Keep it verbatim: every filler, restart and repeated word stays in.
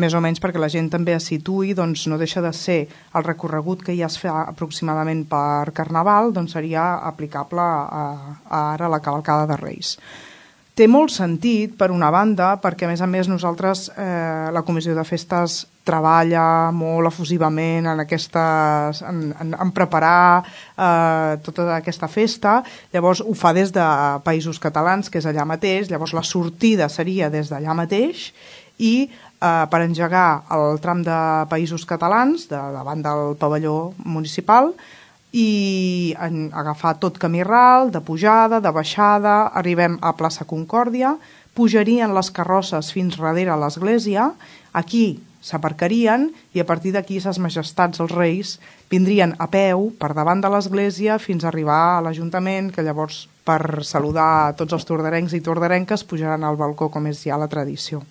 més o menys perquè la gent també es situï, doncs no deixa de ser el recorregut que ja es fa aproximadament per Carnaval, doncs seria aplicable a, a ara la cavalcada de Reis. Té molt sentit, per una banda, perquè a més a més nosaltres, eh, la Comissió de Festes treballa molt efusivament en, aquestes, en, en, en preparar eh, tota aquesta festa, llavors ho fa des de Països Catalans, que és allà mateix, llavors la sortida seria des d'allà mateix i eh, per engegar el tram de Països Catalans, de, davant del pavelló municipal, i en agafar tot camí ral, de pujada, de baixada, arribem a plaça Concòrdia, pujarien les carrosses fins darrere l'església, aquí s'aparcarien i a partir d'aquí ses majestats, els reis, vindrien a peu per davant de l'església fins a arribar a l'Ajuntament, que llavors per saludar tots els tordarencs i tordarenques pujaran al balcó com és ja la tradició.